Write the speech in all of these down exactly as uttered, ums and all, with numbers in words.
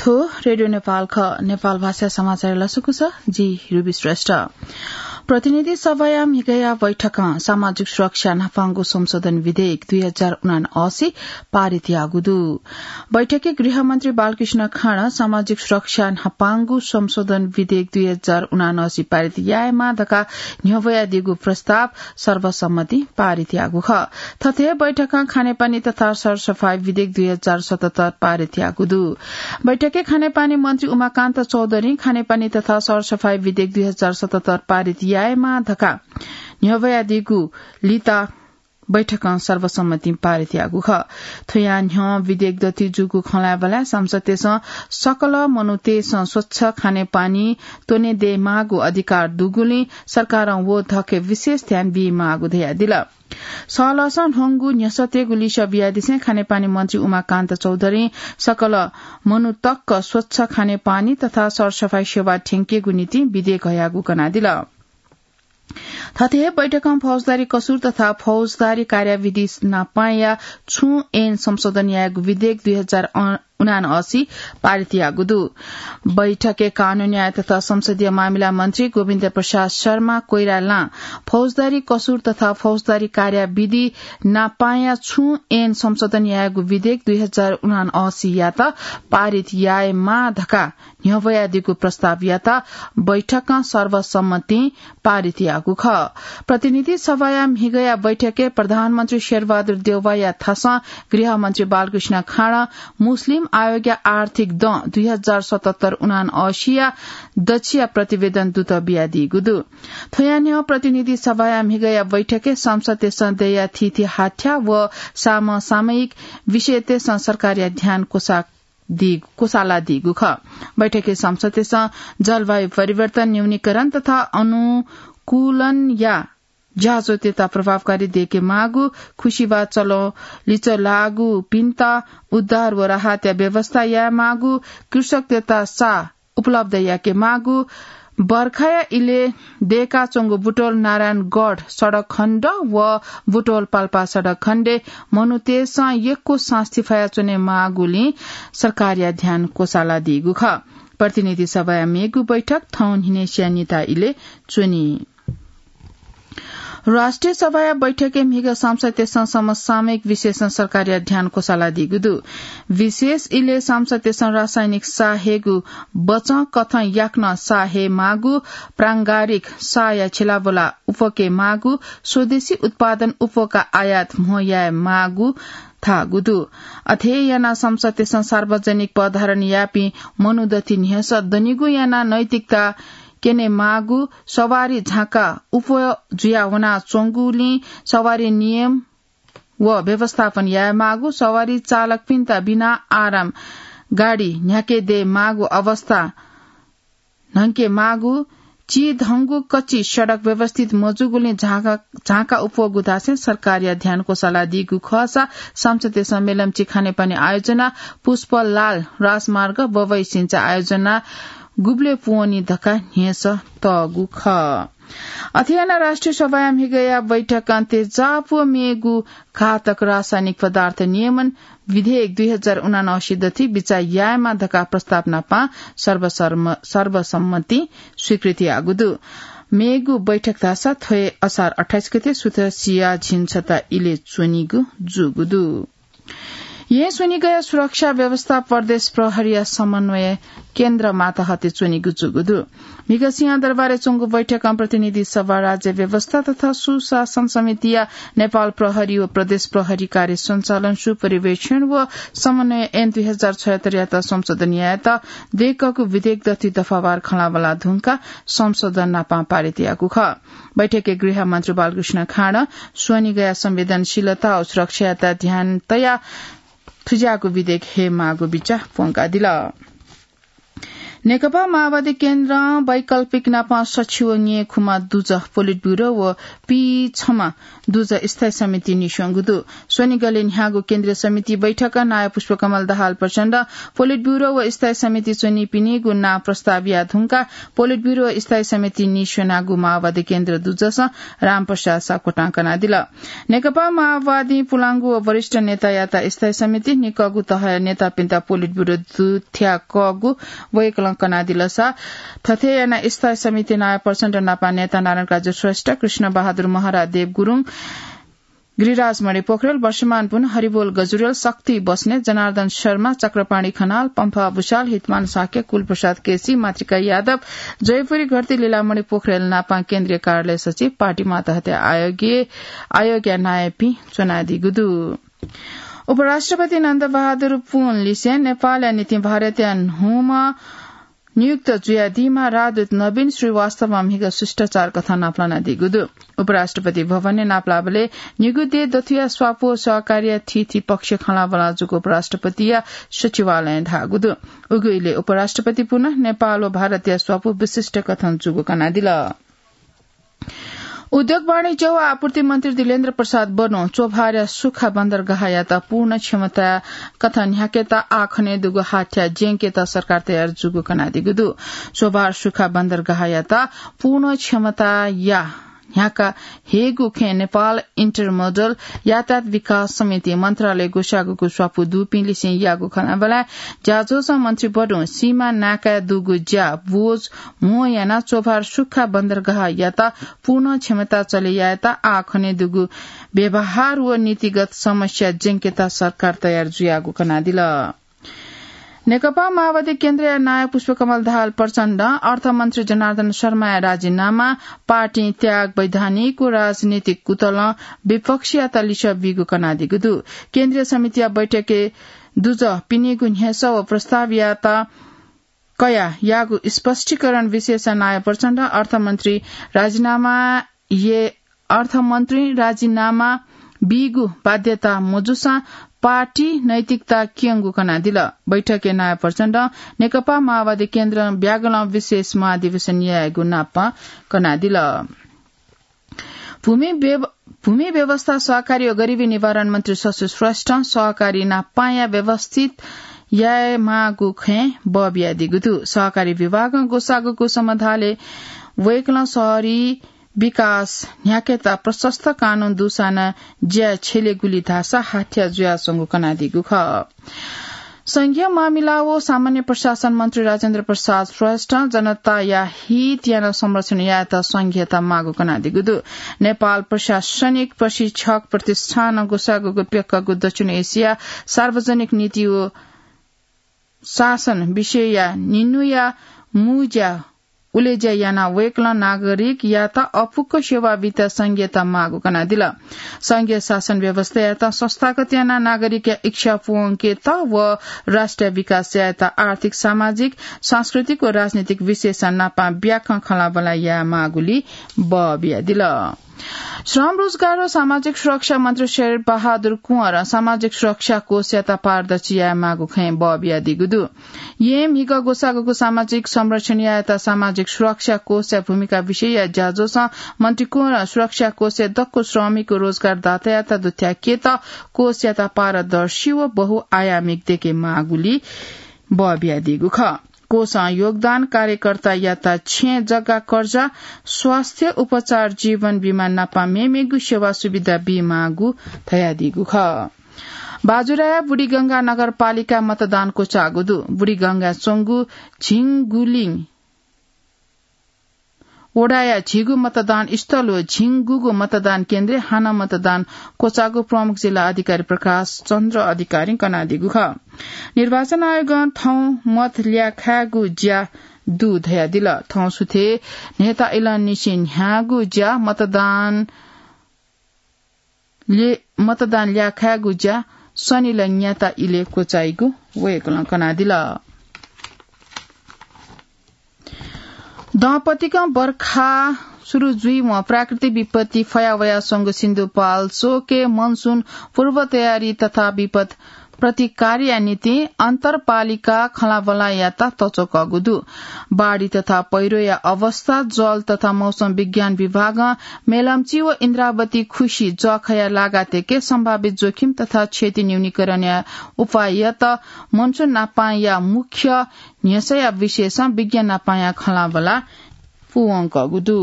रेडियो नेपाल ख, नेपाल भाषा समाचार लसकुस, जि रुबी श्रेष्ठ। प्रतिनिधि सभाया म्हिगया बैठकं सामाजिक सुरक्षा न्हापांगु संशोधन विधेयक दुई हजार उनासी पारित याःगु दु। बैठकय् गृहमन्त्री बालकृष्ण खाँडं सामाजिक सुरक्षा न्हापांगु संशोधन विधेयक दुई हजार उनासी पारित यायेमा धकाः न्ह्यब्वयादीगु प्रस्ताव सर्वसम्मति पारित याःगु खः। थथे बैठकं खानेपानी तथा सरसफाई विधेयक दुई हजार सतहत्तर पारित याःगु दु। बैठकय् खानेपानी मन्त्री उमाकान्त चौधरीं खानेपानी तथा सरसफाई विधेयक दुई हजार सतहत्तर पारित यायेमा धकाः न्ह्यब्वयादीगु लिता बैठकं सर्वसम्मतिं पारित याःगु खः। थ्वया न्ह्यः विधेयक दथुइ जूगु खँ ल्हायेबलय् सांसदतय्सं सकल मनूतय्सं स्वच्छ खानेपानी त्वने दयेमाःगु अधिकार दुगुलिं सरकारं व धके विशेष ध्यान बीमाःगु धयादिल। सहलहसं ल्ह्वंगु न्ह्यसःतय्गु लिसः बियादिसें खानेपानी मन्त्री उमाकान्त चौधरीं सकल मनूतय्सं स्वच्छ खानेपानी तथा सरसफाई सेवा थ्यंकेगु निंतिं विधेयक हयागु कनादिल। थथे हे बैठकं फौजदारी कसुर तथा फौजदारी कार्यविधि नापांया छुं ऐन संशोधन यायेगु विधेयक दुई हजार उनासी पारित याःगु दु। बैठकय् कानून न्याय तथा संसदीय मामिला मन्त्री गोविन्द प्रसाद शर्मा कोइरालां फौजदारी कसुर तथा फौजदारी कार्यविधि नापांया छुं ऐन संशोधन यायेगु विधेयक दुई हजार उनासीयात पारित यायेमाः धकाः न्ह्यब्वयादीगु प्रस्तावयात बैठकं सर्वसम्मतिं पारित याःगु खः। प्रतिनिधि सभाया म्हिगया बैठकय् प्रधानमन्त्री शेरबहादुर देउवाया थासं गृहमन्त्री बालकृष्ण खाँडं मुस्लिम आयोगया आर्थिक दँ दुई हजार सतहत्तर उनासीया दच्छिया प्रतिवेदन दुत बियादीगु दु। थ्वया न्ह्यः प्रतिनिधि सभाया म्हिगया बैठकय् सांसदतय्सं दयेया थीथी हाथ्या व समसामयिक विषयतय्सं सरकारया ध्यान क्वसा दी-, क्वसालादीगु खः। बैठकय् सांसदतय्सं जलवायु परिवर्तन न्यूनीकरण तथा अनुकूलनया ज्याझ्वःतय्त प्रभावकारी दयेके माःगु, खुसिबा चलं लिचः लाःगुपिन्त उद्धार व राहतया व्यवस्था याये माःगु, कृषकतय्त साः उपलब्ध याके माःगु, बर्खाया इलय् दयेकाच्वंगु बुटवल नारायणगढ सडक खण्ड व बुटवल पाल्पा सडक खण्डय् मनूतय्सं यक्व सास्ती फयाच्वने माःगुलिं सरकारया ध्यान क्वसालादीगु खः। प्रतिनिधि सभाया मेगु बैठक थौं न्हिनय्सिया निता इलय् च्वनी। राष्ट्रिय सभाया बैठकय् म्हिगः सांसदतय्सं समसामयिक विषयसं सरकारया ध्यान क्वसालादीगु दु। विशेष इलय् सांसदतय्सं रासायनिक साः हयेगु बचं कथं याकनं साः हये माःगु, प्रांगारिक साःया छिलाबुला उप्वके माःगु, स्वदेशी उत्पादन उप्वका आयात म्हो याये माःगु धाःगु दु। अथे यानाः सांसदतय्सं सार्वजनिक पदधारण याःपिं मनू दथुइ न्ह्यसः दनिगु यानाः नैतिकता क्यने माःगु, सवारी झाँक्का उप्वः जुया वनाच्वंगुलिं सवारी नियम व व्यवस्थापन याये माःगु, सवारी चालकपिन्त बिना आराम गाडी न्ह्याके दये माःगु अवस्था न्हंके माःगु, चिधंगु कच्ची सडक व्यवस्थित मजूगुलिं झाँक्का, झाँक्का उप्वःगु धासें सरकारया ध्यान क्वसालादीगु खःसा सांसदतय्सं मेलम्ची खानेपानी आयोजना पुष्पलाल राजमार्ग बबैसिंचा आयोजना गुबलय् पूवनी धकाः न्ह्यसः तःगु खः। अथे यानाः राष्ट्रिय सभाया म्हिगःया बैठकं तेजाब व मेगु घातक रासायनिक पदार्थ नियमन विधेयक दुई हजार उनासी दथुइ बिचाः यायेमाः धकाः प्रस्ताव नापं सर्वसर्म-, सर्वसम्मतिं स्वीकृति याःगु दु। मेगु बैठक धाःसा थ्व हे असार अट्ठाइस गते सुथ सिया झिंछता इलय् च्वनीगु जूगु दु। येँ स्वनिगःया सुरक्षा व्यवस्था प्रदेश प्रहरीया समन्वय केन्द्र मातहतय् च्वनीगु जूगु दु। म्हिगः सिंहदरबारय् च्वंगु बैठकं प्रतिनिधि सभा, राज्य व्यवस्था तथा सुशासन समितिया नेपाल प्रहरी व प्रदेश प्रहरी कार्य सञ्चालन, सुपरिवेक्षण व समन्वय ऐन दुई हजार छयहत्तरयात संशोधन यायेत दयेकःगु विधेयक दथुइ दफावार खँल्हाबल्हा धुंकाः संशोधन नापं पारित याःगु खः। बैठकय् गृहमन्त्री बालकृष्ण खाँडं स्वनिगःया संवेदनशीलता व सुरक्षायात ध्यान तयाः थुज्याःगु विधेयक हये माःगु बिचाः प्वंकादिल। नेकपा माओवादी केन्द्रं वैकल्पिक नापं सछि व न्येखुम्ह दुजः पोलिट ब्यूरो व पीछम्ह दुजः स्थायी समिति नीस्वंगु दु। स्वनिगलय् न्ह्याःगु केन्द्रीय समिति बैठकं नायः पुष्पकमल दाहाल प्रचण्ड, पोलिट ब्यूरो व स्थायी समिति च्वनीपिनिगु नां प्रस्ताव याये धुंकाः पोलिट ब्यूरो व स्थायी समिति नीस्वनागु माओवादी केन्द्र दुजसं रामप्रसाद सापकोटां कनादिल। नेकपा माओवादीं पुलांगु व वरिष्ठ नेतायात स्थायी समिति, निकःगु तहया नेतापिन्त पोलिट ब्यूरो दुथ्याकःगु वय्कलं कनादिलसा, थथे यानाः स्थायी समिति नायः प्रचण्ड नापं नेता नारायण काजी श्रेष्ठ, कृष्ण बहादुर महरा, देव गुरुङ, गिरिराज मणि पोखरेल, वर्षमान पुन, हरिबोल गजुरेल, शक्ति बस्नेत, जनार्दन शर्मा, चक्रपाणी खनाल, पम्फा भुषाल, हितमान शाक्य, कुलप्रसाद केसी, मातृका यादव, जयपुरी घरती, लीलामणि पोखरेल नापं केन्द्रीय कार्यालय सचिव, पार्टीमात हत्या आयोगया नायःपिं च्वनादीगु दु। उपराष्ट्रपति नन्द बहादुर पुन लिसें नेपालया निंतिं भारतया न्हूम्ह नियुक्त जुयादीम्ह राजदूत नवीन श्रीवास्तवं म्हिगः शिष्टाचार कथं नापलानादीगु दु। उपराष्ट्रपति भवनय् नापलाःबलय् निगू देय् दथुया स्वापू व सहकारीया थीथी पक्ष खँल्हाबल्हा जूगु उपराष्ट्रपतिया सचिवालयं धाःगु दु। उगु इलय् उपराष्ट्रपति पुन नेपाल व भारतया स्वापू विशिष्ट कथं जूगु कनादिल। उद्योग, वाणिज्य व आपूर्ति मन्त्री दिलेन्द्र प्रसाद बडुं च्वभारया सुखा बन्दरगाहयात पूर्ण क्षमता कथं न्ह्याकेत आः खनेदुगु हाथ्या ज्यंकेत सरकार तयार जूगु कनादीगु दु। च्वभार सुखा बन्दरगाहयात पूर्ण क्षमताया न्ह्याका हयेगु खँय् नेपाल इन्टरमोडल यातायात विकास समिति मन्त्रालय ग्वसाःगु स्वापू दुपिं लिसें याःगु खँल्हाबल्हाय् ज्याझ्वलय् मन्त्री बडुं सीमा नाकाय् दुगु ज्या बोझ म्हो यानाः च्वभार सुखा बन्दरगाहयात पूर्ण क्षमता चले यायेत आः खनेदुगु व्यवहार व नीतिगत समस्या ज्यंकेत सरकार तयार जुयागु कनादिल। नेकपा माओवादी केन्द्रया नायः पुष्पकमल दाहाल प्रचण्डं अर्थमन्त्री जनार्दन शर्माया राजीनामा, पार्टी त्याग, वैधानिक व राजनीतिक कुतलं विपक्षयात लिसः बीगु कनादीगु दु। केन्द्रीय समितिया बैठकय् दुजः पिनिगु न्ह्यसः व प्रस्तावयात कयाः याःगु स्पष्टीकरण विषयय् नायः प्रचण्डं अर्थमन्त्री राजीनामा ये अर्थमन्त्री राजीनामा बीगु बाध्यता मजूसां पार्टी नैतिकता क्यंगु कनादिल। बैठकय् नायः प्रचण्डं नेकपा माओवादी केन्द्रं ब्यागलं विशेष महाधिवेशन यायेगु नापं कनादिल। भूमि व्यव-, भूमि व्यवस्था, सहकारी व गरिबी निवारण मन्त्री शशि श्रेष्ठं सहकारी नापांया व्यवस्थित यायेमाःगु खँय् बः बियादीगु दु। सहकारी विभागं ग्वसाःगु समधालय् वय्कलं शहरी विकास न्ह्याकेत प्रशस्त कानून दुसां नं ज्या छ्यलेगुली धाःसा हाथ्या जुयाच्वंगु कनादीगु खः। संघीय मामिला व सामान्य प्रशासन मन्त्री राजेन्द्र प्रसाद श्रेष्ठं जनताया हित यानाः संरक्षण यायेत संघीयता माःगु कनादीगु दु। नेपाल प्रशासनिक प्रशिक्षक प्रतिष्ठानं ग्वसाःगु प्यक्कःगु दक्षिण एसिया सार्वजनिक नीति व शासन विषयया निन्हुया मू ज्या उलेज्या यानाः वय्कलं नागरिकयात अपुक्क सेवा बीत संघीयता माःगु कनादिल। संघीय शासन व्यवस्थायात संस्थागत यानाः नागरिकया इच्छा पूवंकेत व राष्ट्रिय विकास यायेत आर्थिक, सामाजिक, सांस्कृतिक व राजनीतिक विषयय् नापं ब्याखं खँल्हाबल्हा यायेमाःगुली बः बियादिल। श्रम, रोजगार व सामाजिक सुरक्षा मन्त्री शेरबहादुर कुँवरं सामाजिक सुरक्षा कोषयात पारदर्शी यायेमाःगु खँय् बः बियादीगु दु। येँ म्हिगः ग्वसाःगु सामाजिक संरक्षण यायेत सामाजिक सुरक्षा कोषया भूमिका विषयया ज्याझ्वलय् मन्त्री कुँवरं सुरक्षा कोषय् दक्व श्रमिक व रोजगारदातायात दुथ्याकेत कोषयात पारदर्शी व बहुआयामिक देकेमाःगुली बः बियादीगु खः। कोषं योगदान कार्यकर्तायात छेँ जग्गा कर्जा, स्वास्थ्य उपचार, जीवन बिमा नापं मेमेगु सेवा सुविधा बीमाःगु धयादीगु खः। बाजुराया बुढीगंगा नगरपालिका मतदान क्वचाःगु दु। बुढीगंगा च्वंगु झिंगुलिङ वडाया झिगू मतदान स्थल व झिंगूगू मतदान केन्द्रय् हानं मतदान क्वचाःगु प्रमुख जिल्ला अधिकारी प्रकाश चन्द्र अधिकारीं कनादीगु खः। निर्वाचन आयोगं थौं मत ल्याखायेगु ज्या दु धयादिल। थौं सुथय् न्हय्ता इलंनिसें न्ह्याःगु ज्या मतदान ले-, मतदान ल्याखायेगु ज्या शनिलय् न्याता इलय् क्वचाइगु वय्कलं कनादिल। दँपतिकं बर्खा सुरु जुइवं प्राकृतिक विपत्ति फयावयाच्वंगु सिन्धुपाल्चोकय् मनसुन पूर्व तयारी तथा विपद प्रतिकारया निंतिं अन्तरपालिका खँल्हाबल्हायात तच्वकःगु दु। बाढी तथा पैह्रोया अवस्था, जल तथा मौसम विज्ञान विभागं मेलम्ची व इन्द्रावती खुसी जःखया लागातय्के सम्भावित जोखिम तथा क्षति न्यूनीकरणया उपाययात मनसुन नापांया मुख्य न्ह्यसःया विषयसं विज्ञान नापांया खँल्हाबल्हा पूवंकःगु दु।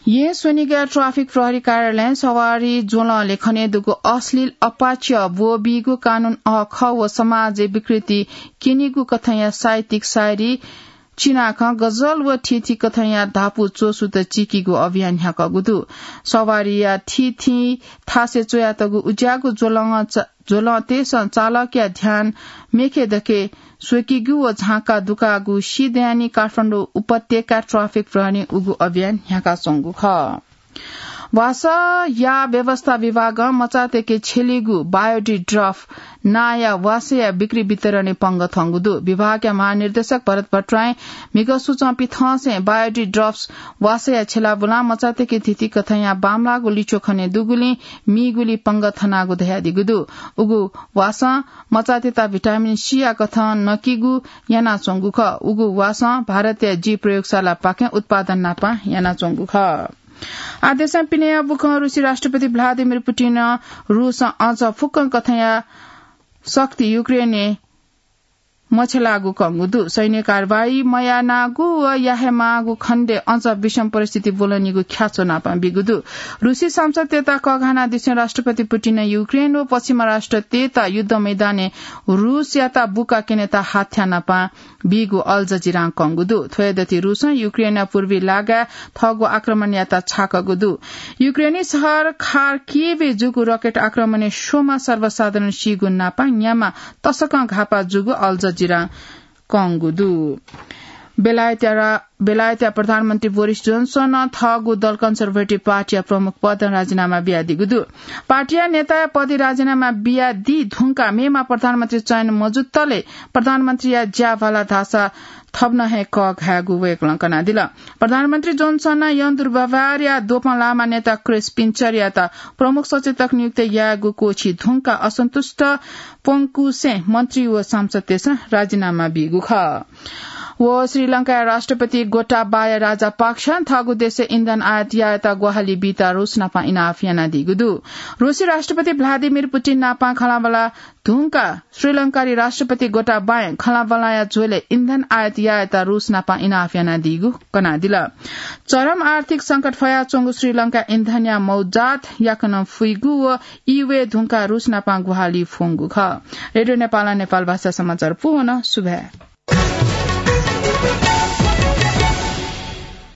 येँ स्वनिगः ट्राफिक प्रहरी कार्यालयं सवारी ज्वलंलय् खनेदुगु अश्लील अपाच्य ब्वःबीगु कानून अःखः व समाजय् विकृति क्यनीगु कथंया साहित्यिक शायरी, चिनाखँ, गजल व थीथी कथंया धापू च्वसुत चीकीगु अभियान न्ह्याकःगु दु। सवारीया थीथी थासय् च्वयातःगु उज्याःगु ज्वलं च-, ज्वलंतय्सं चालकया ध्यान मेखे दखे स्वकीगु व झांका दुकाःगु सिधयानि काठमाडौं उपत्यका ट्राफिक प्रहरीं उगु अभियान न्ह्याकाच्वंगु खः। वासः याः व्यवस्था विभागं मचातय्के छ्यलीगु बायोडी ड्रप नांया वासःया बिक्री वितरणय् पंगः थंगु दु। विभागया महानिर्देशक भरत भट्टराईं म्हिगः सुचं पिथंसें बायोडी ड्रप्स वासःया छ्यलाबुलां मचातय्के थीथी कथंया बांमलाःगु लिच्वः खनेदुगुलिं मीगुलिइ पंगः थनागु धयादीगु दु। उगु वासं मचातय्त भिटामिन सीया कथं नकीगु यानाच्वंगु खः। उगु वासं भारतया जी प्रयोगशालापाखें उत्पादन नापं यानाच्वंगु खः। आः देशं पिनेया बुखं रुसी राष्ट्रपति भ्लादिमिर पुटिनं रुसं अझ फुक्कं कथंया शक्ति युक्रेनय् मछ्यलाःगु कंगु दु। सैन्य कारवाही मयानागु व यायेमाःगु खण्डय् अझ विषम परिस्थिति ब्वलनीगु ख्याच्वः नापं बीगु दु। रुसी सांसदतय्त कःघानादिसें राष्ट्रपति पुटिनं युक्रेन व पश्चिमा राष्ट्रतय्त युद्ध मैदानय् रुसयात बुका क्यनेत हाथ्या नापं बीगु अल जजिरां कंगु दु। थ्वयादथि रुसं युक्रेनया पूर्वी लागाय् थःगु आक्रमण यायेत छाकःगु दु। युक्रेनी शहर खार्किभय् जूगु रकेट आक्रमणय् स्वम्ह सर्वसाधारण सीगु नापं न्याम्ह तसकं घाःपाः जूगु अल जजिरां कंगु दु। बेलायतया रा-, बेलायतया प्रधानमन्त्री बोरिस जोन्सनं थःगु दल कन्जर्भेटिभ पार्टीया प्रमुख पदं राजीनामा बियादीगु दु। पार्टीया नेताया पदय् राजीनामा बियादी धुंकाः मेम्ह प्रधानमन्त्री चयन मजुतले प्रधानमन्त्रीया ज्या भाला धाःसा थप नं हे कःघायेगु वय्कलं कनादिल। प्रधानमन्त्री जोन्सनं यंग दुर्व्यवहारया द्वपं लाःम्ह नेता क्रिस पिन्चरयात प्रमुख सचेतक नियुक्त यायेगु क्वःछी धुंकाः असन्तुष्ट प्वंकुसें मन्त्री व सांसदतय्सं राजीनामा बीगु खः। व श्रीलंकाया राष्ट्रपति गोटाबाया राजापाक्सं थःगु देशय् इन्धन आयात यायेत ग्वाहालि बीत रुस नापं इनाप यानादीगु दु। रुसी राष्ट्रपति भ्लादिमिर पुटिन नापं खँल्हाबल्हा धुंकाः श्रीलंकारी राष्ट्रपति गोटाबायं खँल्हाबल्हाया झ्वलय् इन्धन आयात यायेत रुस नापं इनाप यानादीगु कनादिल। चरम आर्थिक संकट फयाच्वंगु श्रीलंकाय् इन्धनया मौजात याकनं फुइगु व ई वये धुंकाः रुस नापं ग्वाहालि फ्वंगु खः। रेडियो नेपालं नेपाल भाषा समाचार पूवन। सुभाय्।